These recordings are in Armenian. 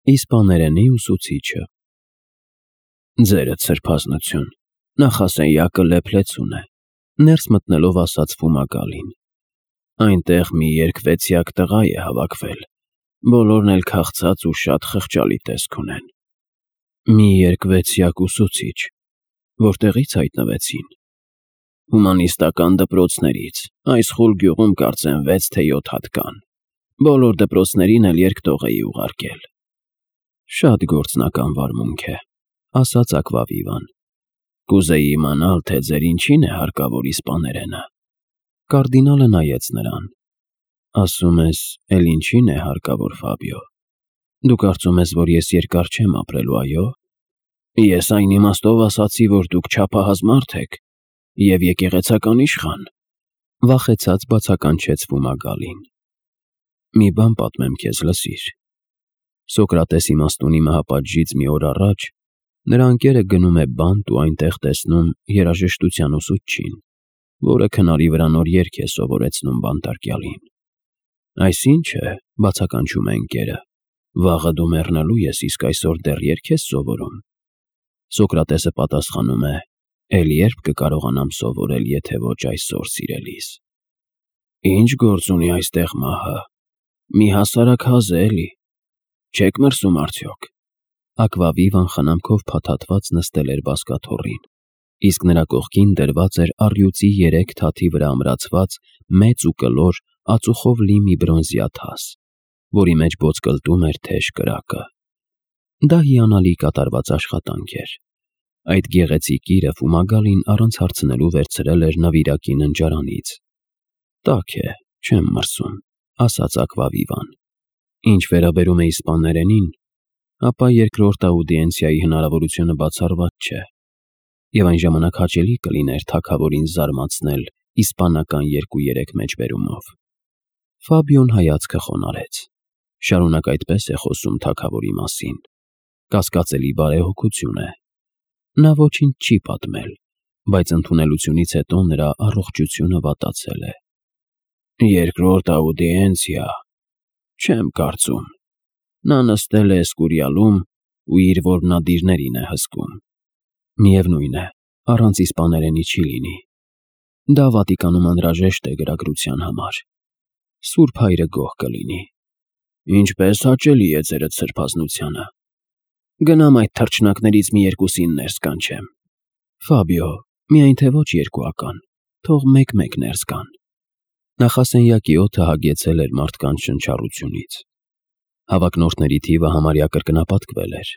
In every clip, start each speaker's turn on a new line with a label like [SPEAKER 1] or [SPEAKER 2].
[SPEAKER 1] Իսպաներենի ուսուցիչը։ Ձերդ սրբազնություն, նախասենյակը լեփլեցուն է, ներս մտնելով ասաց Ֆումագալին։ Այնտեղ մի երկվեցյակ տղա է հավաքվել, բոլորն էլ քաղցած ու շատ խղճալի տեսք ունեն։ Մի երկվեցյակ ուսուցիչ, որտեղի՞ց հայտնվեցին։ Հումանիստական դպրոցներից, այս խուլ գյուղում կարծեմ 6 թե 7 հատ կան, բոլոր դպրոցներին էլ երկտող էի ուղարկել։ Շատ գործնական վարմունք է, ասաց Ակվավիվան։ Կուզեի իմանալ, թե ձեր ինչին է հարկավոր իսպաներենը։ Կարդինալը նայեց նրան։ Ասում ես, էլ ինչին է հարկավոր, Ֆաբիո։ Դու կարծում ես, որ ես երկար չեմ ապրելու, այո։ Ես այն իմաստով ասացի, որ դուք չափահաս մարդ եք և եկեղեցական իշխան, վախեցած բացականչեց Ֆումագալին։ Մի բան պատմեմ քեզ, լսիր։ Սոկրատես իմաստունի մահապատժից մի օր առաջ նրա ընկերը գնում է բանտ ու այնտեղ տեսնում երաժշտության ուսուցչին, որը քնարի վրա նոր երգ է սովորեցնում բանտարկյալին։ Այս ի՞նչ է, բացականչում է ընկերը, վաղը դու մեռնելու ես, իսկ այսօր դեռ երգ ես սովորում։ Սոկրատեսը պատասխանում է. Էլ երբ կկարողանամ սովորել, եթե ոչ այսօր, սիրելիս։ Ինչ գործ ունի այստեղ մահը։ Մի հասարակ հազ է, էլի։ Չեք մրսում արդյոք։ Ակվավիվան խնամքով փաթաթված նստել էր բազկաթոռին, իսկ նրա կողքին դրված էր առյուծի 3 թաթի վրա ամրացված մեծ ու կլոր ածուխով լի մի բրոնզյա թաս, որի մեջ ոսկլտում էր թեժ կրակը։ Դա հիանալի կատարված աշխատանք էր։ Այդ գեղեցիկ իրը Ֆումագալին առանց հարցնելու վերցրել էր նվիրակի ննջարանից։ Տաք է, չեմ մրսում, ասաց Ակվավիվան։ Ինչ վերաբերում է իսպաներենին, ապա երկրորդ աուդիենցիայի հնարավորությունը բացառված չէ, և այն ժամանակ հաճելի կլիներ թագավորին զարմացնել իսպանական 2-3 մեջբերումով։ Ֆաբիոն հայացքը խոնարհեց։ Շարունակ այդպես է խոսում թագավորի մասին։ Կասկածելի բարեհոգություն է։ Նա ոչինչ չի պատմել, բայց ընդունելությունից հետո նրա առողջությունը վատացել է։ Երկրորդ աուդիենցիա։ Չեմ կարծում։ Նա նստել է Էսկուրիալում ու իր որբնադիրներին է հսկում։ Միևնույն է, առանց իսպաներենի չի լինի։ Դա Վատիկանում անհրաժեշտ է գրագրության համար։ Սուրբ հայրը գոհ կլինի։ Ինչպես հաճելի է ձերդ սրբազնությանը։ Գնամ այդ թռչնակներից մի երկուսին ներս կանչեմ։ Ֆաբիո, միայն թե ոչ երկուական, թող մեկ-մեկ ներս գան։ Նախասենյակի օդը հագեցել էր մարդկանց շնչառությունից։ Հավակնորդների թիվը համարյա կրկնապատկվել էր։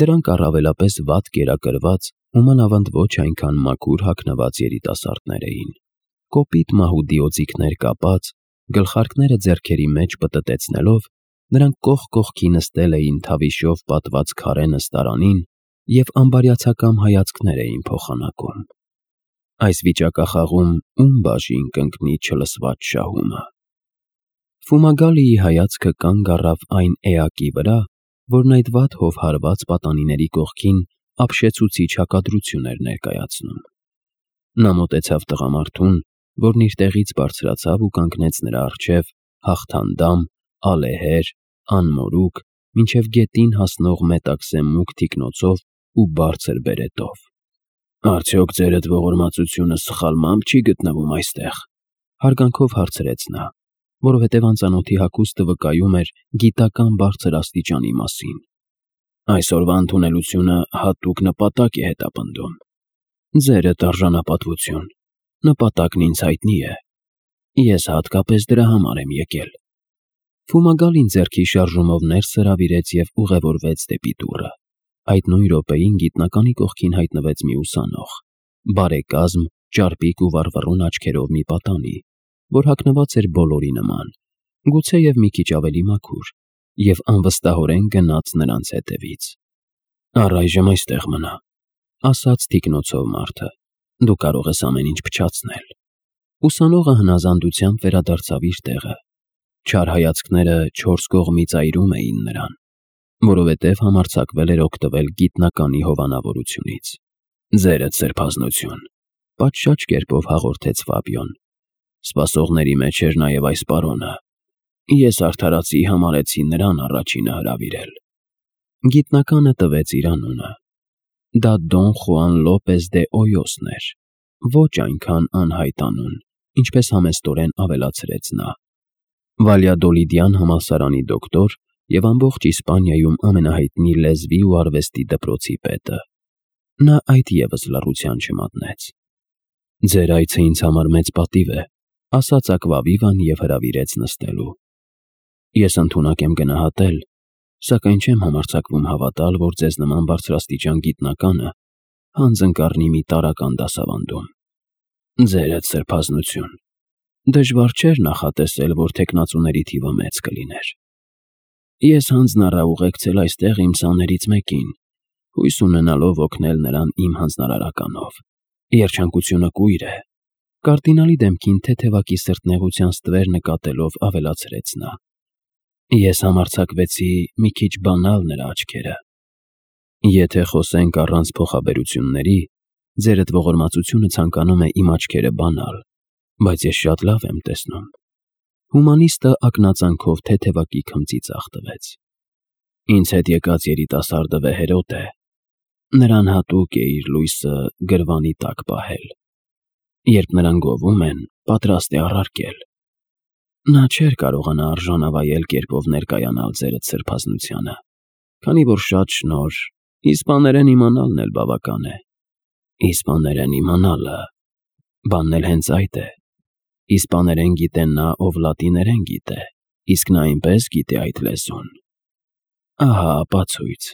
[SPEAKER 1] Դրանք առավելապես վատ կերակրված ու մանավանդ ոչ այնքան մաքուր հագնված երիտասարդներ էին։ Կոպիտ մահու դիոձիկներ կապած, գլխարկները ձեռքերի մեջ պտտեցնելով, նրանք կողք կողքի նստել էին թավիշով պատված քարե նստարանին և ամբարյացակամ հայացքներ էին փոխանակում։ Այս վիճակախաղում ում բաժին կընկնի չլսված շահումը։ Ֆումագալիի հայացքը կանգ առավ այն էակի վրա, որն այդ վատ հով հարված պատանիների կողքին ապշեցուցիչ հակադրություն էր ներկայացնում։ Նա մոտեցավ տղամարդուն, որն իր տեղից բարձրացավ ու կանգնեց նրա առջև հաղթանդամ, ալեհեր, անմորուք, մինչև գետին հասնող մետաքսե մուգ թիկնոցով ու բարձր բերետով։ Արդյոք ձերդ ողորմածությունը սխալմամբ չի գտնվում այստեղ, հարգանքով հարցրեց նա, որովհետև անծանոթի հագուստը վկայում էր գիտական բարձր աստիճանի մասին։ Այսօրվա ընդունելությունը հատուկ նպատակ է հետապնդում։ Ձերդ արժանապատվություն, նպատակն ինձ հայտնի է։ Ես հատկապես դրա համար եմ եկել։ Ֆումագալին ձեռքի շարժումով ներս հրավիրեց և ուղևորվեց դեպի դուռը։ Այդ նույն րոպեին գիտնականի կողքին հայտնվեց մի ուսանող, բարեկազմ, ճարպիկ ու վառվռուն աչքերով մի պատանի, որ հագնված էր բոլորի նման, գուցեև մի քիչ ավելի մաքուր, և անվստահորեն գնաց նրանց հետևից։ Առայժմ այստեղ մնա, ասաց թիկնոցով մարդը, դու կարող ես ամեն ինչ փչացնել։ Ուսանողը հնազանդությամբ վերադարձավ իր տեղը։ Չար հայացքները 4 կողմից այրում էին նրան, որովհետև համարձակվել էր օգտվել գիտնականի հովանավորությունից։ Ձերդ սրբազնություն, պատշաճ կերպով հաղորդեց Ֆաբիոն։ Սպասողների մեջ էր նաև այս պարոնը։ Ես արդարացի համարեցի նրան առաջինը հրավիրել։ Գիտնականը տվեց իր անունը։ Դա Դոն Խուան Լոպեզ դե Օյոսն էր, ոչ այնքան անհայտ անուն, ինչպես համեստորեն ավելացրեց նա։ Վալյադոլիդյան համալսարանի դոկտոր և ամբողջ Իսպանիայում ամենահայտնի լեզվի ու արվեստի դպրոցի պետը։ Նա այդ ևս լռության չմատնեց։ «Ձեր այցը ինձ համար մեծ պատիվ է», ասաց Ակվավիվան և հրավիրեց նստելու։ «Ես ընդունակ եմ գնահատել, սակայն չեմ համարձակվում հավատալ, որ ձեզ նման բարձրաստիճան գիտնականը հանձն կառնի մի տարրական դասավանդում։ Ձերդ սրբազնություն։ Դժվար չէր նախատեսել, որ թեկնածուների թիվը մեծ կլիներ։ Ես հանձնառա ուղեկցել այստեղ իմ սաներից մեկին, հույս ունենալով օգնել նրան իմ հանձնարարականով։ Երջանկությունը կույր է», կարդինալի դեմքին թեթևակի սրտնեղության ստվեր նկատելով ավելացրեց նա։ «Ես համարձակվեցի մի քիչ բանալ նրա աչքերը։ Եթե խոսենք առանց փոխաբերությունների, ձերդ ողորմածությունը ցանկանում է իմ աչքերը բանալ, բայց ես շատ լավ եմ տեսնում»։ Հումանիստը ակնածանքով թեթևակի քմծի ձախ տվեց։ «Ինձ հետ եկած երիտասարդը վեհերոտ է։ Նրան հատուկ է իր լույսը գրվանի տակ պահել։ Երբ նրան գովում են, պատրաստ է առարկել։ Նա չէր կարողանա արժանավայել կերպով ներկայանալ ձերդ սրբազնությանը, քանի որ շատ շնորհ, իսպաներեն իմանալն էլ բավական է»։ «Իսպաներեն իմանալը… բանն էլ հենց այդ է։ Իսպաներեն գիտե նա, ով լատիներեն գիտե, իսկ նա այնպես գիտե այդ լեզուն»։ Ահա ապացույց։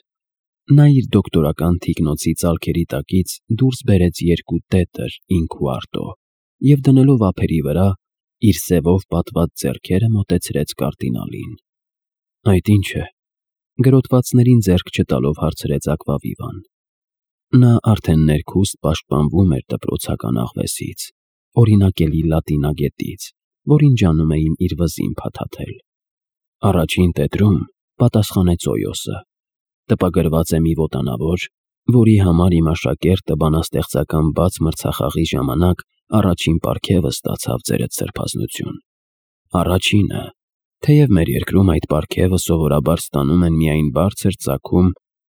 [SPEAKER 1] Նա իր դոկտորական թիկնոցի ծալքերի տակից դուրս բերեց երկու տետր ինքուարտո և դնելով ափերի վրա, իր սևով պատված ձեռքերը մոտեցրեց կարդինալին։ «Այդ ի՞նչ է», գրոտվածներին ձեռք չտալով հարցրեց Ակվավիվան։ Նա արդեն ներքուստ պաշտպանվում էր դպրոցական աղվեսից, օրինակելի լատինագետից, որին ջանում էին իր վզին փաթաթել։ «Առաջին տետրում», պատասխանեց Օյոսը, «տպագրված է մի ոտանավոր, որի համար իմ աշակերտը բանաստեղծական բաց մրցախաղի ժամանակ առաջին պարգևը ստացավ ձերդ սրբազնություն։ Առաջինը, թեև մեր երկրում այդ պարգևը սովորաբար ստանում են միայն բարձր ծագում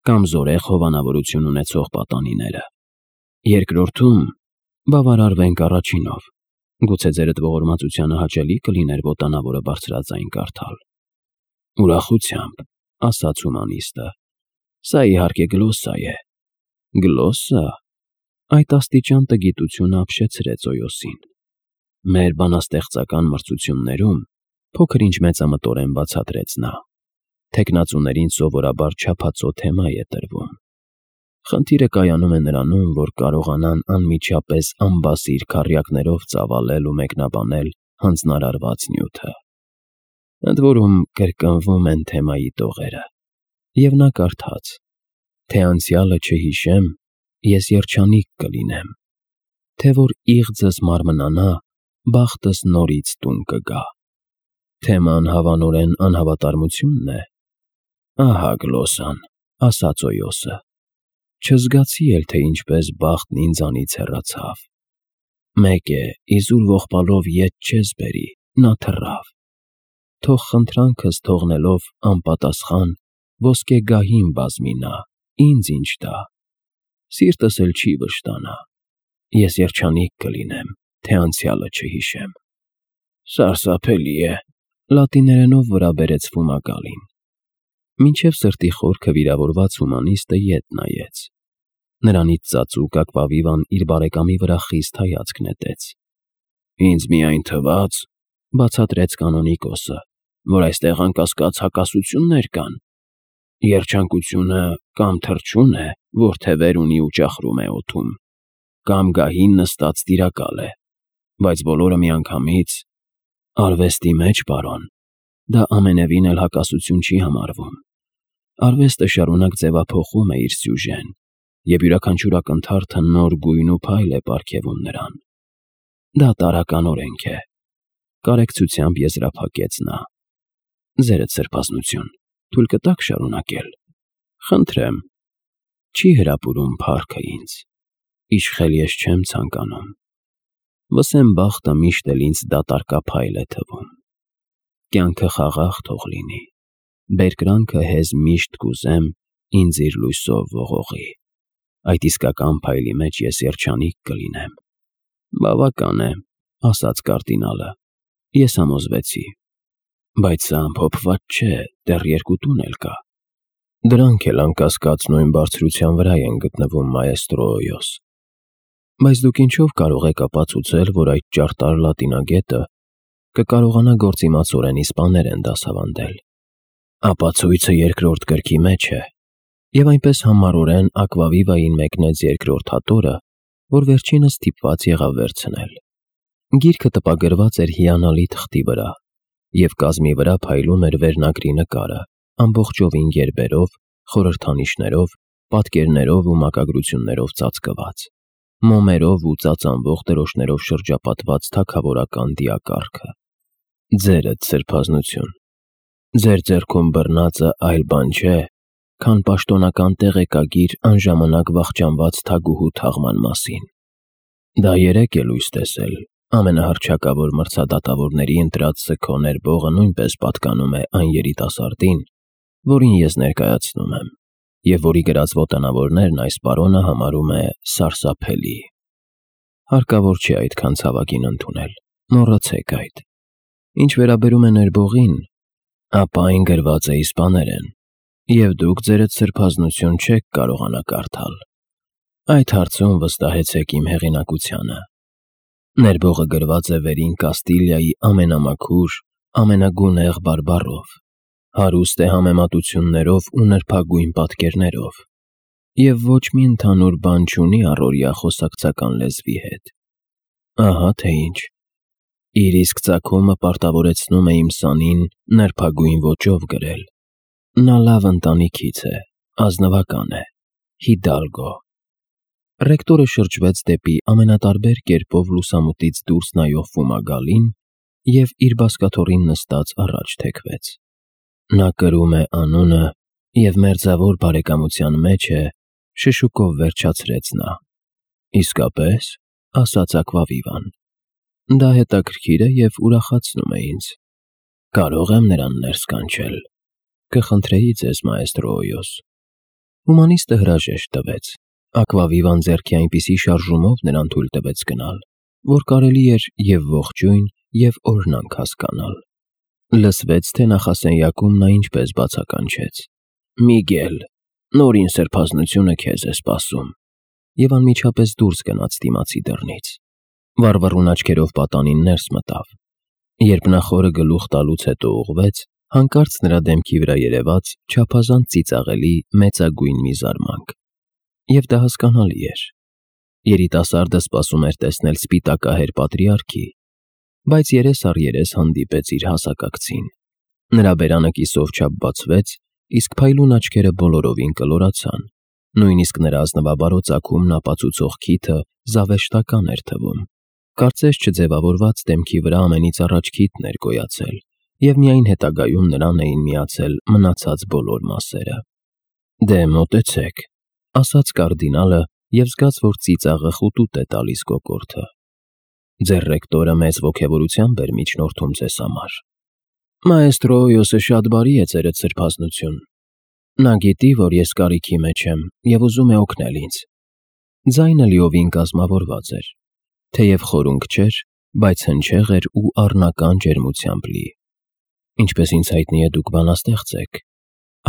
[SPEAKER 1] կամ զորեղ հովանավորություն ունեցող պատանիները։ Երկրորդում, բավարարվենք առաջինով, գուցե ձերդ ողորմածությանը հաճելի կլիներ ոտանավորը բարձրաձայն կարդալ»։ «Ուրախությամբ», ասաց հումանիստը, «սա իհարկե գլոսսա է»։ «Գլոսսա»։ Այդ աստիճան տգիտությունը ապշեցրեց Օյոսին։ «Մեր բանաստեղծական մրցություններում», փոքր-ինչ մեծամտորեն բացատրեց նա, «թեկնածուներին սովորաբար չափածո թեմա է տրվում։ Խնդիրը կայանում է նրանում, որ կարողանան անմիջապես անբասիր քառյակներով ծավալել ու մեկնաբանել հանձնարարված նյութը։ Ընդ որում կրկնվում են թեմայի տողերը»։ Եվ նա կարդաց. «Թե անցյալը չհիշեմ, ես երջանիկ կլինեմ, թե որ իղձս մարմնանա, բախտս նորից տուն կգա։ Թեման հավանորեն անհավատարմությունն է»։ «Ահա գլոսսան», ասաց Օյոսը, «չզգացի էլ, թե ինչպես բախտն ինձանից հեռացավ։ Մեկ է, իզուր ողբալով ետ չես բերի, նա թռավ։ Թող խնդրանքս թողնելով անպատասխան, ոսկե գահին բազմի նա, ինձ ինչ տա։ Սիրտս էլ չի վշտանա։ Ես երջանիկ կլինեմ, թե անցյալը չհիշեմ»։ «Սարսափելի է», լատիներենով վրա բերեց Ֆումագալին։ Մինչև սրտի խորքը վիրավորված հումանիստը ետ նայեց։ Նրանից ծածուկ Ակվավիվան իր բարեկամի վրա խիստ հայացք նետեց։ «Ինձ միայն թվաց», բացատրեց կանոնիկոսը, «որ այստեղ անկասկած հակասություններ կան։ Երջանկությունը կամ թռչուն է, որ թևեր ունի ու ճախրում է օդում, կամ գահին նստած տիրակալ է, բայց բոլորը միանգամից… Արվեստի մեջ, պարոն, դա ամենևին էլ հակասություն չի համարվում։ Արվեստը շարունակ ձևափոխում է իր սյուժեն, և յուրաքանչյուր ակնթարթը նոր գույն ու փայլ է պարգևում նրան։ Դա տարրական օրենք է», կարեկցությամբ եզրափակեց նա։ «Ձերդ սրբազնություն, թույլ կտաք շարունակել։ Խնդրեմ։ Չի հրապուրում փառքը ինձ։ Իշխել ես չեմ ցանկանում։ Վսեմ բախտը միշտ էլ ինձ դատարկափայլ է թվում։ Կյանքը խաղաղ թող լինի, բերկրանքը հեզ միշտ կուզեմ ինձ իր լույսով ողողի, այդ իսկական փայլի մեջ ես երջանիկ կլինեմ։ Բավական է, ասաց կարդինալը, ես համոզվեցի, բայց սա ամփոփված չէ, դեռ 2 տուն էլ կա։ Դրանք էլ անկասկած նույն բարձրության վրա են գտնվում, մայեստրո Օյոս։ Բայց դուք ինչով կարող եք ապացուցել, որ այդ ճարտար լատինագետը կկարողանա գործիմացորեն իսպաներեն դասավանդել։ Ապացույցը 2-րդ գրքի մեջ է, եւ այնպես համառորեն Ակվավիվային մեկնեց 2-րդ հատորը, որ վերջինս ստիպված եղավ վերցնել։ Գիրքը տպագրված էր հիանալի թղթի վրա, եւ կազմի վրա փայլում էր վերնագրի նկարը, ամբողջովին գերբերով, խորհրդանիշներով, պատկերներով ու մակագրություններով ծածկված, մոմերով ու ծածանվող դրոշներով շրջապատված թագավորական դիակառքը։ Ձերդ սրբազնություն, ձեր ձեռքում բռնածը այլ բան չէ, քան պաշտոնական տեղեկագիր անժամանակ վախճանված թագուհու թաղման մասին։ Դա 3 է լույս տեսել, ամենահռչակավոր մրցադատավորների ընտրած սգո ներբողը նույնպես պատկանում է այն երիտասարդին, որին ես ներկայացնում եմ, եւ որի գրած ոտանավորներն այս պարոնը համարում է սարսափելի։ Հարկավոր չի այդքան ցավագին ընդունել, մոռացեք այդ։ Ինչ վերաբերում է ներբողին, ապա այն գրված է իսպաներեն, եւ դուք ձերդ սրբազնություն չեք կարողանա կարդալ։ Այդ հարցում վստահեցեք իմ հեղինակությանը։ Ներբողը գրված է վերին Կաստիլիայի ամենամաքուր, ամենագունեղ բարբառով, հարուստ է համեմատություններով ու նրբագույն պատկերներով, եւ ոչ մի ընդհանուր բան չունի առօրյա խոսակցական լեզվի հետ։ Ահա թե ինչ։ Իր իսկ ծագումը պարտավորեցնում է իմ սանին նրբագույն ոճով գրել։ Նա լավ ընտանիքից է, ազնվական է, հիդալգո։ Ռեկտորը շրջվեց դեպի ամենատարբեր կերպով լուսամուտից դուրս նայող Ֆումագալին եւ իր բազկաթոռին նստած առաջ թեքվեց։ Նա կրում է անունը եւ մերձավոր բարեկամության մեջ է, շշուկով վերջացրեց նա։ Իսկապես, ասաց Ակվավիվան, դա հետաքրքիր է եւ ուրախացնում է ինձ։ Կարող եմ նրան ներս կանչել։ Կխնդրեի ձեզ, մայեստրո Օյոս։ Հումանիստը հրաժեշտ տվեց։ Ակվավիվան ձեռքի այնպիսի շարժումով նրան թույլ տվեց գնալ, որ կարելի էր եւ ողջույն, եւ օրհնանք հասկանալ։ Լսվեց, թե նախասենյակում նա ինչպես բացականչեց. Միգել, նորին սրբազնությունը քեզ է սպասում։ Եվ անմիջապես դուրս գնաց դիմացի դռնից։ Վառվռուն աչքերով պատանին ներս մտավ։ Երբ նա խորը գլուխ տալուց հետո ուղղվեց, հանկարծ նրա դեմքի վրա երևաց չափազանց ծիծաղելի մեծագույն մի զարմանք։ Եվ դա հասկանալի էր։ Երիտասարդը սպասում էր տեսնել սպիտակահեր պատրիարքի, բայց երես առ երես հանդիպեց իր հասակակցին։ Նրա բերանը կիսով չափ բացվեց, իսկ փայլուն աչքերը բոլորովին կլորացան։ Նույնիսկ նրա ազնվաբարո ծագումն ապացուցող քիթը զավեշտական էր թվում։ Կարծես չձևավորված դեմքի վրա ամենից առաջ քիթն էր գոյացել, եւ միայն հետագայում նրան էին միացել մնացած բոլոր մասերը։ Դե մոտեցեք, ասաց կարդինալը եւ զգաց, որ ծիծաղը խուտուտ է տալիս կոկորդը։ Ձեր ռեկտորը մեծ ոգևորությամբ էր միջնորդում ձեզ համար։ Մայեստրո Օյոսը շատ բարի է, ձերդ սրբազնություն։ Նա գիտի, որ ես կարիքի մեջ եմ եւ ուզում է օգնել ինձ։ Ձայնը լիովին կազմավորված էր, թեև խորունկ չէր, բայց հնչեղ էր ու առնական ջերմությամբ լի։ Ինչպես ինձ հայտնի է, դուք բանաստեղծ եք։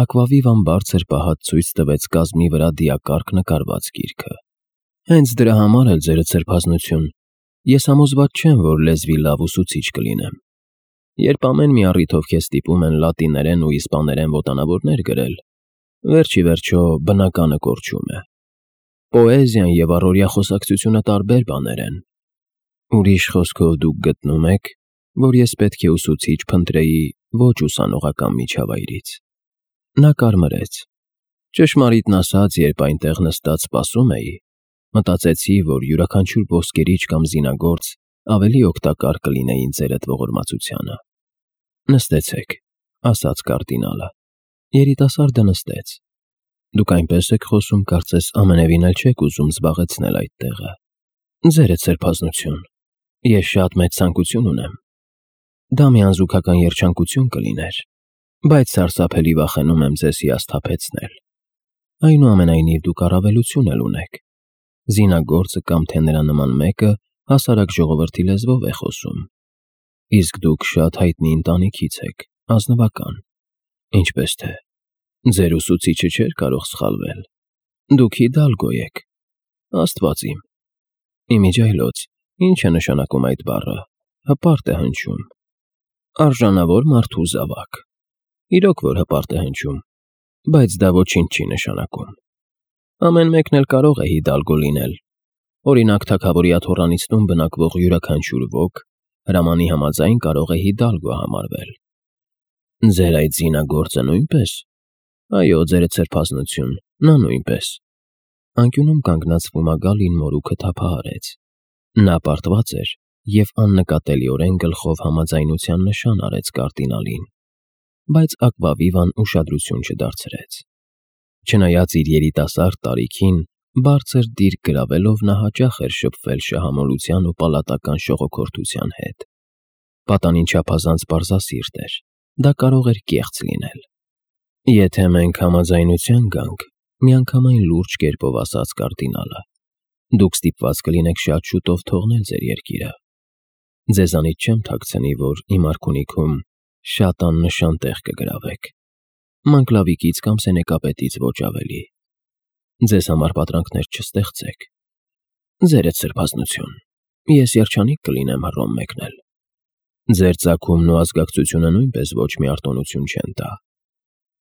[SPEAKER 1] Ակվավիվան բարձր պահած ցույց տվեց կազմի վրա դիակառք նկարված գիրքը։ Հենց դրա համար էլ ձերդ սրբազնություն, ես համոզված չեմ, որ լեզվի լավ ուսուցիչ կլինեմ։ Երբ ամեն մի առիթով քեզ ստիպում են լատիներեն ու իսպաներեն ոտանավորներ գրել, վերջի վերջո բնականը կորչում է։ Պոեզիան եւ առօրյա խոսակցությունը տարբեր բաներ են։ Ուրիշ խոսքով դուք գտնում եք, որ ես պետք է ուսուցիչ փնտրեի ոչ ուսանողական միջավայրից։ Նա կարմրեց։ Ճշմարիտն ասած, երբ այնտեղ նստած սպասում էի, մտածեցի, որ յուրաքանչյուր ոսկերիչ կամ զինագործ ավելի օգտակար կլինեին ձերդ ողորմածությանը։ Նստեցեք, ասաց կարդինալը։ Երիտասարդը նստեց։ Դուք այնպես եք խոսում, կարծես ամենևին էլ չեք ուզում զբաղեցնել այդ տեղը։ Ձերդ սրբազնություն, ես շատ մեծ ցանկություն ունեմ։ Դա մի անզուգական երջանկություն կլիներ, բայց սարսափելի վախենում եմ ձեզ հիասթափեցնել։ Այնուամենայնիվ դուք առավելություն էլ ունեք։ Զինագործը կամ թե նրա նման մեկը հասարակ ժողովրդի լեզվով է խոսում։ Իսկ դուք շատ հայտնի ընտանիքից եք, ազնվական, ինչպես թե ձեր ուսուցիչը չէր կարող սխալվել։ Դուք Հիդալգո եք։ Աստված իմ։ Իմիջիայլոց, ինչ է նշանակում այդ բառը։ Հպարտ է հնչում։ Արժանավոր մարդու զավակ։ Իրոք որ հպարտ է հնչում, բայց դա ոչինչ չի նշանակում։ Ամեն մեկն էլ կարող է Հիդալգո լինել։ Օրինակ, թագավորի աթոռանից տուն բնակվող յուրաքանչյուր ոք հրամանի համաձայն կարող է Հիդալգո համարվել։ Ձեր այդ զինագործը նույնպես։ Այո, ձերդ սրբազնություն, նա նույնպես։ Անկյունում կանգնած Ֆումագալին մորուքը թափահարեց։ Նա պարտված էր և աննկատելիորեն գլխով համաձայնության նշան արեց կարդինալին, բայց Ակվավիվան ուշադրություն չդարձրեց։ Չնայած իր երիտասարդ տարիքին, բարձր դիրք գրավելով նա հաճախ էր շփվել շահամոլության ու պալատական շողոքորթության հետ։ Պատանին չափազանց պարզասիրտ էր, դա կարող էր կեղծ լինել։ Եթե մենք համաձայնության գանք, միանգամայն լուրջ կերպով ասաց կարդինալը, դուք ստիպված կլինեք շատ շուտով թողնել ձեր երկիրը։ Ձեզանից չեմ թաքցնի, որ իմ արքունիքում շատ աննշան տեղ կգրավեք։ Մանկլավիկից կամ սենեկապետից ոչ ավելի։ Ձեզ համար պատրանքներ չստեղծեք։ Ձերդ սրբազնություն, ես երջանիկ կլինեմ Հռոմ մեկնել։ Ձեր ծագումն ու ազգակցությունը նույնպես ոչ մի արտոնություն չեն տա։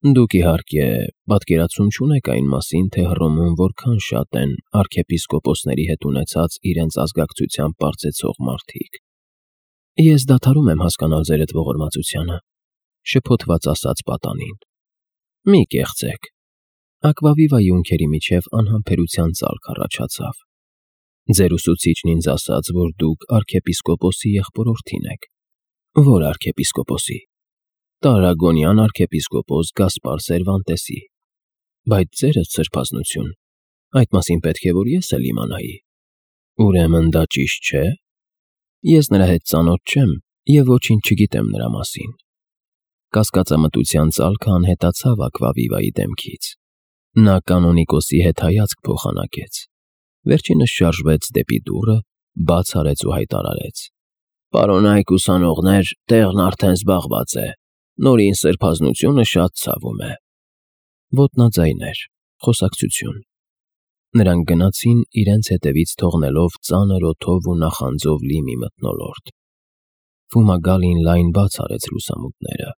[SPEAKER 1] Դուք իհարկե պատկերացում չունեք այն մասին, թե Հռոմում որքան շատ են արքեպիսկոպոսների հետ ունեցած իրենց ազգակցությամբ պարծեցող մարդիկ։ Ես դադարում եմ հասկանալ ձերդ ողորմածությանը, շփոթված ասաց պատանին։ Մի կեղծեք։ Ակվավիվայի ունքերի միջև անհամբերության ծալք առաջացավ։ Ձեր ուսուցիչն ինձ ասաց, որ դուք արքեպիսկոպոսի եղբորորդին եք։ Որ արքեպիսկոպոսի։ Տարագոնյան արքեպիսկոպոս Գասպար Սերվանտեսի։ Բայց ձերդ սրբազնություն, այդ մասին պետք է որ ես էլ իմանայի։ Ուրեմն դա ճիշտ չէ։ Ես նրա հետ ծանոթ չեմ և ոչինչ չգիտեմ նրա մասին։ Կասկածամտության ծալքը անհետացավ Ակվավիվայի դեմքից։ Նա կանոնիկոսի հետ հայացք փոխանակեց։ Վերջինս շարժվեց դեպի դուռը, բաց արեց ու հայտարարեց. Պարոնայք ուսանողներ, տեղն արդեն զբաղված է։ Նորին սրբազնությունը շատ ցավում է։ Ոտնաձայներ, խոսակցություն։ Նրանք գնացին իրենց հետևից թողնելով ծանր օդով ու նախանձով լի մի մթնոլորտ։ Ֆումագալին լայն բաց արեց լուսամուտները։